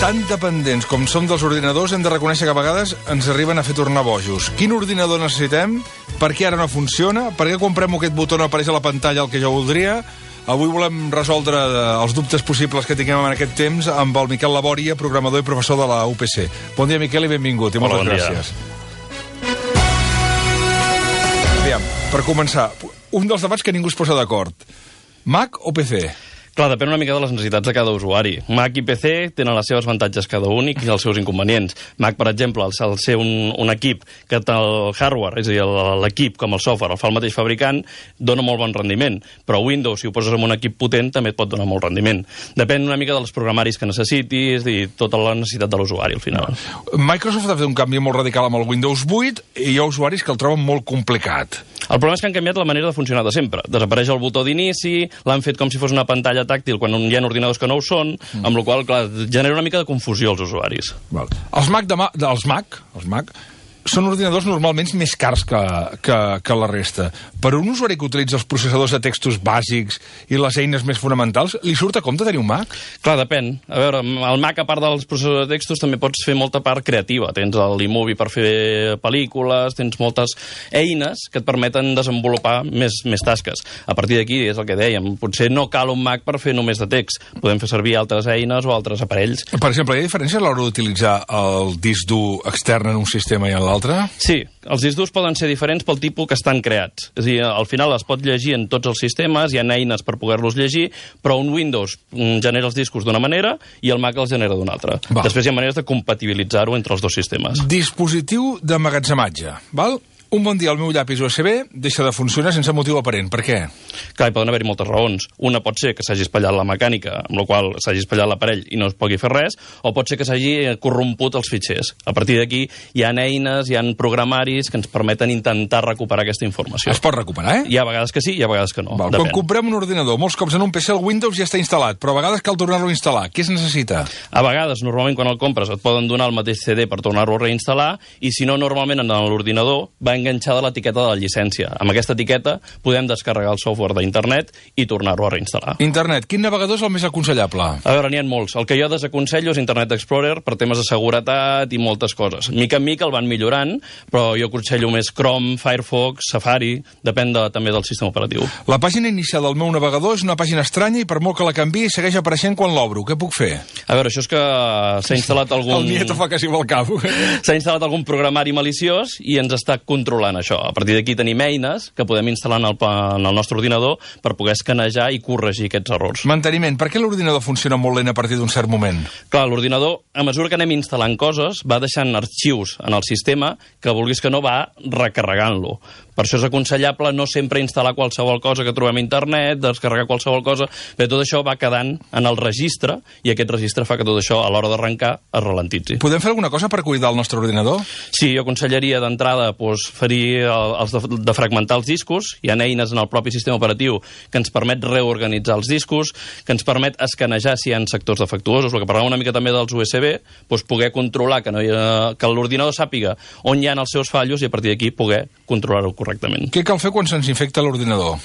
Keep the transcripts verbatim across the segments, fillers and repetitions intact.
Tan dependents com som dels ordinadors, hem de reconèixer que a vegades ens arriben a fer tornar bojos. Quin ordinador necessitem? Per què ara no funciona? Per què quan premo aquest botó no apareix a la pantalla el que jo voldria? Avui volem resoldre els dubtes possibles que tinguem en aquest temps amb el Miquel Labòria, programador i professor de la U P C. Bon dia, Miquel, i benvingut. I moltes bon gràcies. Aviam, per començar, un dels debats que ningú es posa d'acord. Mac o P C? Clar, depèn una mica de les necessitats de cada usuari. Mac i P C tenen les seves avantatges cada un i els seus inconvenients. Mac, per exemple, al ser un, un equip que té el hardware, és a dir, l'equip com el software el fa el mateix fabricant, dona molt bon rendiment. Però Windows, si ho poses en un equip potent, també et pot donar molt rendiment. Depèn una mica dels programaris que necessitis i tota la necessitat de l'usuari, al final. Microsoft ha fet un canvi molt radical amb el Windows vuit i hi ha usuaris que el troben molt complicat. El problema és que han canviat la manera de funcionar de sempre. Desapareix el botó d'inici, l'han fet com si fos una pantalla tàctil quan hi ha ordinadors que no ho són, mm. amb la qual cosa, clar, genera una mica de confusió als usuaris. Val. Els Mac, de ma els Mac, els Mac són ordinadors normalment més cars que, que, que la resta. Per un usuari que utilitza els processadors de textos bàsics i les eines més fonamentals, li surt a compte tenir un Mac? Clar, depèn. A veure, el Mac, a part dels processadors de textos, també pots fer molta part creativa. Tens l'iMovie per fer pel·lícules, tens moltes eines que et permeten desenvolupar més, més tasques. A partir d'aquí, és el que dèiem, potser no cal un Mac per fer només de text. Podem fer servir altres eines o altres aparells. Per exemple, hi ha diferència a l'hora d'utilitzar el disc dur extern en un sistema i en l'altre? Sí, els discs durs poden ser diferents pel tipus que estan creats. És a dir, al final es pot llegir en tots els sistemes, hi ha eines per poder-los llegir, però un Windows genera els discos d'una manera i el Mac els genera d'una altra. Va. Després hi ha maneres de compatibilitzar-ho entre els dos sistemes. Dispositiu d'emmagatzematge, val? Un bon dia el meu llapis U S B deixa de funcionar sense motiu aparent. Per què? Clar, hi poden haver-hi moltes raons. Una pot ser que s'hagi espatllat la mecànica, amb la qual s'hagi espatllat l'aparell i no es pugui fer res, o pot ser que s'hagi corromput els fitxers. A partir d'aquí hi ha eines, hi ha programaris que ens permeten intentar recuperar aquesta informació. Es pot recuperar, eh? Hi ha vegades que sí, hi ha vegades que no. Val. Quan comprem un ordinador, molts cops en un P C el Windows ja està instal·lat, però a vegades cal tornar-lo a instal·lar. Què es necessita? A vegades, normalment, quan el compres, et poden donar el mateix C D per tornar-lo a reinstal·lar, i si no, normalment en l'ordinador va enganxada l'etiqueta de la llicència. Amb aquesta etiqueta podem descarregar el software d'internet i tornar-ho a reinstal·lar. Internet, quin navegador és el més aconsellable? A veure, n'hi ha molts. El que jo desaconsello és Internet Explorer per temes de seguretat i moltes coses. Mica en mica el van millorant, però jo aconsello més Chrome, Firefox, Safari, depèn de, també del sistema operatiu. La pàgina inicial del meu navegador és una pàgina estranya i per molt que la canviï segueix apareixent quan l'obro. Què puc fer? A veure, això és que s'ha instal·lat algun... El Nieto fa quasi vol cap. S'ha instal·lat algun programari maliciós i ens està controlant això. A partir d'aquí tenim eines que podem instal·lar en el, en el nostre ordinador per poder escanejar i corregir aquests errors. Manteniment. Per què l'ordinador funciona molt lent a partir d'un cert moment? Clar, l'ordinador, a mesura que anem instal·lant coses, va deixant arxius en el sistema que, vulguis que no, va recarregant-lo. Per això és aconsellable no sempre instal·lar qualsevol cosa que trobem a internet, descarregar qualsevol cosa, però tot això va quedant en el registre i aquest registre fa que tot això, a l'hora d'arrencar, es ralentitzi. Podem fer alguna cosa per cuidar el nostre ordinador? Sí, jo aconsellaria d'entrada doncs, fer els de, de fragmentar els discos. Hi ha eines en el propi sistema operatiu que ens permet reorganitzar els discos, que ens permet escanejar si hi ha sectors defectuosos, el que parlàvem una mica també dels U S B, doncs poder controlar que, no hi ha, que l'ordinador sàpiga on hi ha els seus fallos i a partir d'aquí poder controlar-ho correctament. Què cal fer quan se'ns infecta l'ordinador?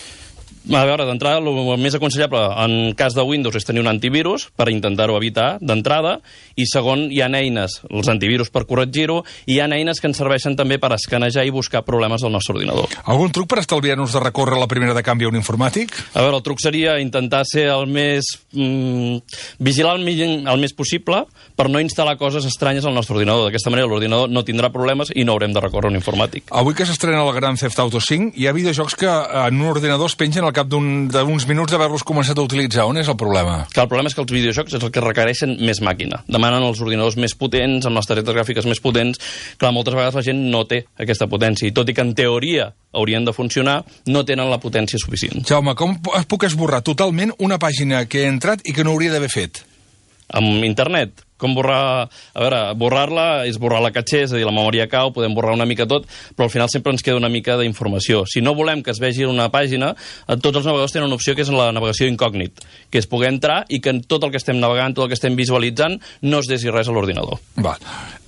A veure, d'entrada, el més aconsellable en cas de Windows és tenir un antivirus per intentar-ho evitar d'entrada, i segon, hi ha eines, els antivirus per corregir-ho, i hi ha eines que ens serveixen també per escanejar i buscar problemes del nostre ordinador. Algun truc per estalviar-nos de recórrer la primera de canvi a un informàtic? A veure, el truc seria intentar ser el més... Mm, vigilar el, el més possible per no instal·lar coses estranyes al nostre ordinador. D'aquesta manera l'ordinador no tindrà problemes i no haurem de recórrer a un informàtic. Avui que s'estrena el Grand Theft Auto cinc, hi ha videojocs que en un ordinador es pengen al cap d'uns minuts d'haver-los començat a utilitzar. On és el problema? Que el problema és que els videojocs és el que requereixen més màquina. Demanen els ordinadors més potents, amb les targetes gràfiques més potents. Clar, moltes vegades la gent no té aquesta potència, i tot i que en teoria haurien de funcionar, no tenen la potència suficient. Jaume, com puc esborrar totalment una pàgina que he entrat i que no hauria d'haver fet? Amb internet. Com borrar... A veure, borrar-la és borrar la caché, és a dir, la memòria cau, podem borrar una mica tot, però al final sempre ens queda una mica d'informació. Si no volem que es vegi una pàgina, tots els navegadors tenen una opció que és la navegació incògnit, que és poder entrar i que tot el que estem navegant, tot el que estem visualitzant, no es desi res a l'ordinador. Va.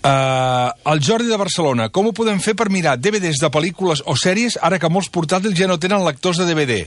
Uh, el Jordi de Barcelona, com ho podem fer per mirar D V Ds de pel·lícules o sèries ara que molts portàtils ja no tenen lectors de D V D?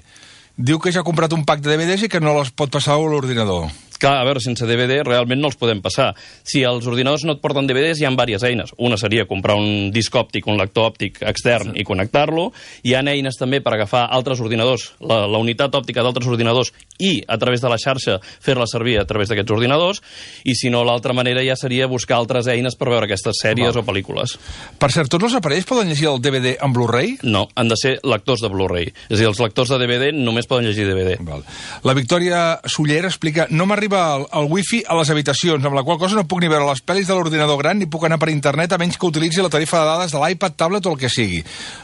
Diu que ja ha comprat un pack de D V Ds i que no les pot passar a l'ordinador. Clar, a veure, sense D V D realment no els podem passar. Si els ordinadors no et porten D V Ds, hi ha diverses eines. Una seria comprar un disc òptic, un lector òptic extern sí. i connectar-lo. Hi ha eines també per agafar altres ordinadors, la, la unitat òptica d'altres ordinadors i, a través de la xarxa, fer-la servir a través d'aquests ordinadors. I, si no, l'altra manera ja seria buscar altres eines per veure aquestes sèries Val. o pel·lícules. Per cert, tots els aparells poden llegir el D V D en Blu-ray? No, han de ser lectors de Blu-ray. És a dir, els lectors de D V D només poden llegir D V D. Val. La Victòria Suller explica: no m'arriba el, el wifi a les habitacions, amb la qual cosa no puc ni veure les pel·lis de l'ordinador gran ni puc anar per internet a menys que utilitzi la tarifa de dades de l'iPad, tablet o el que sigui.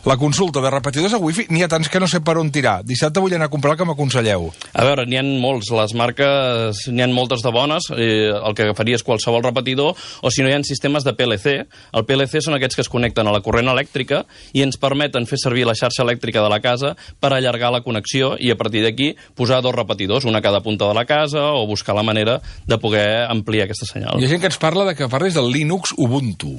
La consulta de repetidors a wifi n'hi ha tants que no sé per on tirar. Dissabte vull anar a comprar el que m'aconselleu. A veure, n'hi ha molts. Les marques, n'hi ha moltes de bones. Eh, el que agafaria és qualsevol repetidor, o si no hi ha sistemes de P L C. El P L C són aquests que es connecten a la corrent elèctrica i ens permeten fer servir la xarxa elèctrica de la casa per allargar la connexió i a partir d'aquí posar dos repetidors, una a cada punta de la casa, o buscar la manera de poder ampliar aquesta senyal. Hi ha gent que ens parla de que parlis del Linux Ubuntu.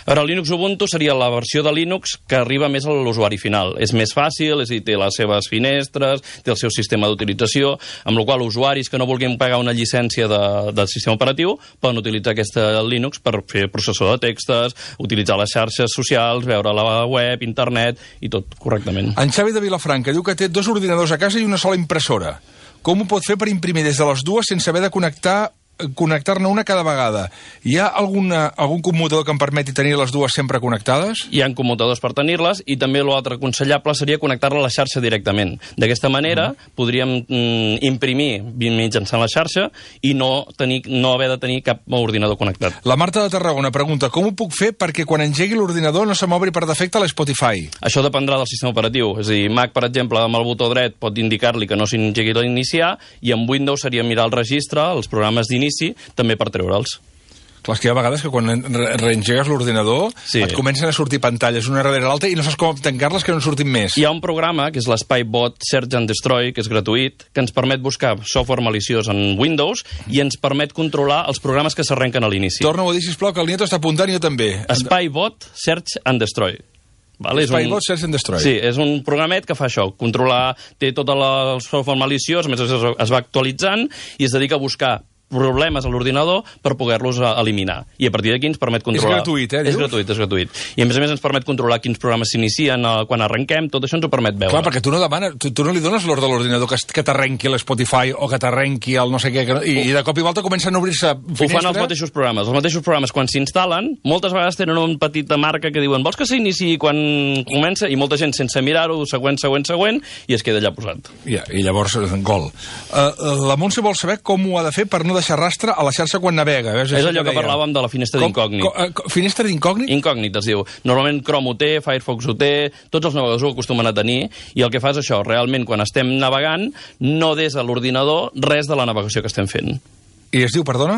A veure, el Linux Ubuntu seria la versió de Linux que arriba més a l'usuari final. És més fàcil, és a dir, té les seves finestres, té el seu sistema d'utilització, amb la qual usuaris que no vulguin pagar una llicència de, del sistema operatiu poden utilitzar aquesta Linux per fer processor de textos, utilitzar les xarxes socials, veure la web, internet i tot correctament. En Xavi de Vilafranca diu que té dos ordinadors a casa i una sola impressora. Com ho pot fer per imprimir des de les dues sense haver de connectar connectar-ne una cada vegada? Hi ha alguna, algun commutador que em permeti tenir les dues sempre connectades? Hi ha commutadors per tenir-les i també l'altre aconsellable seria connectar-la a la xarxa directament. D'aquesta manera mm. podríem mm, imprimir mitjançant la xarxa i no, tenir, no haver de tenir cap ordinador connectat. La Marta de Tarragona pregunta: com ho puc fer perquè quan engegui l'ordinador no se m'obri per defecte l'Spotify? Això dependrà del sistema operatiu. És a dir, Mac, per exemple, amb el botó dret pot indicar-li que no s'engegui l'iniciar, i amb Windows seria mirar el registre, els programes d'inici, també per treure'ls. Clar, és que hi ha vegades que quan re reengegues l'ordinador sí. et comencen a sortir pantalles una darrere l'altra i no saps com tancar-les que no en surtin més. Hi ha un programa, que és l'SpyBot Search and Destroy, que és gratuït, que ens permet buscar software maliciós en Windows i ens permet controlar els programes que s'arrenquen a l'inici. Torna-ho a dir, sisplau, que el Nieto està apuntant i jo també. SpyBot Search and Destroy. Vale, SpyBot un... Search and Destroy. Sí, és un programet que fa això, controlar, té tot el software maliciós, a més es, es va actualitzant i es dedica a buscar problemes a l'ordinador per poder-los eliminar. I a partir d'aquí ens permet controlar... És gratuït, eh? És gratuït, és gratuït. I a més a més ens permet controlar quins programes s'inicien quan arrenquem, tot això ens ho permet veure. Clar, perquè tu no demanes, tu, tu no li dones l'ordre de l'ordinador que, que t'arrenqui l'Spotify o que t'arrenqui el no sé què, que, i, i de cop i volta comencen a obrir-se finestres. Ho fan els mateixos programes. Els mateixos programes, quan s'instal·len, moltes vegades tenen una petita marca que diuen vols que s'iniciï quan comença, i molta gent sense mirar-ho, següent, següent, següent, i es queda allà posat. Ja, i llavors, gol. Uh, la Montse vol saber com ho ha de fer per no deixar rastre a la xarxa quan navega. És allò que, que parlàvem de la finestra d'incògnit. Uh, finestra d'incògnit? Incògnit, es diu. Normalment Chrome ho té, Firefox ho té, tots els navegadors ho acostumen a tenir, i el que fa és això, realment, quan estem navegant, no des de l'ordinador res de la navegació que estem fent. I es diu, perdona?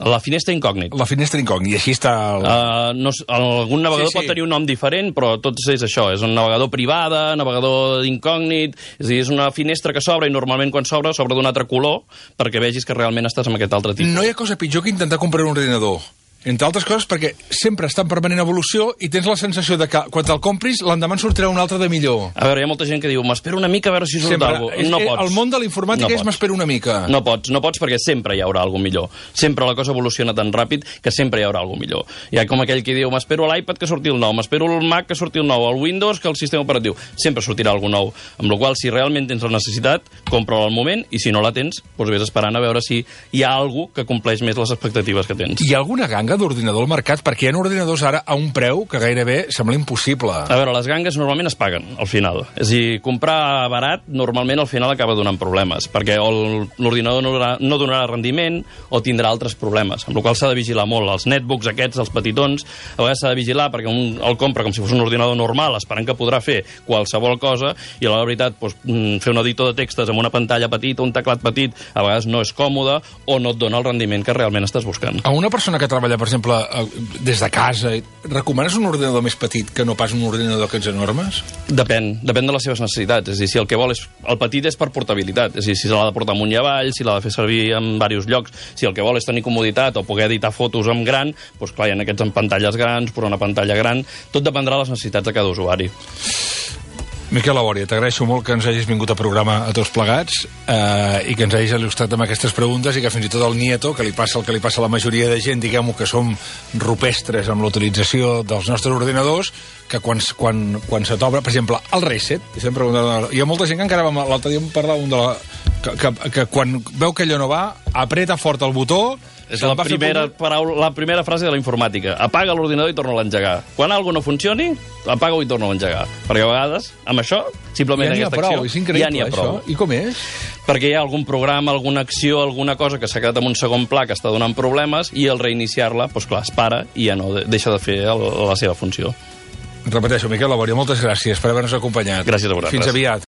La finestra incògnit. La finestra incògnit, i així està... El... Uh, no, algun navegador sí, sí. pot tenir un nom diferent, però tot és això, és un navegador privada, navegador incògnit, és a dir, és una finestra que s'obre i normalment quan s'obre, s'obre d'un altre color, perquè vegis que realment estàs amb aquest altre tipus. No hi ha cosa pitjor que intentar comprar un ordinador. Entre altres coses perquè sempre està en permanent evolució i tens la sensació de que quan te'l compris l'endemà en sortirà un altre de millor. A veure, hi ha molta gent que diu m'espero una mica a veure si surt alguna cosa. No pots. El món de la informàtica no és m'espero una mica. No pots, no pots perquè sempre hi haurà alguna millor. Sempre la cosa evoluciona tan ràpid que sempre hi haurà alguna millor. Hi ha com aquell que diu m'espero l'iPad que surti el nou, m'espero el Mac que surti el nou, el Windows que el sistema operatiu. Sempre sortirà alguna nou. Amb la qual, si realment tens la necessitat, compra-la al moment, i si no la tens, doncs vés esperant a veure si hi ha alguna que compleix més les expectatives que tens. Hi ha alguna ganga d'ordinador al mercat? Perquè hi ha ordinadors ara a un preu que gairebé sembla impossible. A veure, les gangues normalment es paguen al final. És a dir, comprar barat normalment al final acaba donant problemes, perquè l'ordinador no, no donarà rendiment o tindrà altres problemes, amb la qual s'ha de vigilar molt. Els netbooks aquests, els petitons, a vegades s'ha de vigilar perquè un el compra com si fos un ordinador normal, esperant que podrà fer qualsevol cosa, i a la veritat doncs, fer un editor de textos amb una pantalla petita, un teclat petit, a vegades no és còmode o no et dona el rendiment que realment estàs buscant. A una persona que treballa, per exemple, des de casa, recomanes un ordinador més petit que no pas un ordinador d'aquests enormes? Depèn, depèn de les seves necessitats. És a dir, si el que vol és... El petit és per portabilitat, és a dir, si l'ha de portar amunt i avall, si l'ha de fer servir en diversos llocs, si el que vol és tenir comoditat o poder editar fotos amb gran, doncs clar, hi ha aquests amb pantalles grans, posar una pantalla gran, tot dependrà de les necessitats de cada usuari. Miquel Labòria, t'agraeixo molt que ens hagis vingut a programa a tots plegats eh, i que ens hagis il·lustrat amb aquestes preguntes i que fins i tot el Nieto, que li passa el que li passa a la majoria de gent, diguem-ho, que som rupestres amb l'utilització dels nostres ordinadors, que quan, quan, quan se t'obre, per exemple, el reset, hi ha molta gent que encara va, l'altre dia em parlava un de la, que, que, que quan veu que allò no va, apreta fort el botó. És la primera, paraula, la primera frase de la informàtica. Apaga l'ordinador i torna a l'engegar. Quan alguna no funcioni, apaga-ho i torna a l'engegar. Perquè a vegades, amb això, simplement ja aquesta prou, acció, ja n'hi ha prou. Això. I com és? Perquè hi ha algun programa, alguna acció, alguna cosa que s'ha quedat en un segon pla que està donant problemes i al reiniciar-la, doncs clar, es para i ja no deixa de fer el, la seva funció. Repeteixo, Miquel Labòria, moltes gràcies per haver-nos acompanyat. Gràcies a vosaltres. Fins aviat.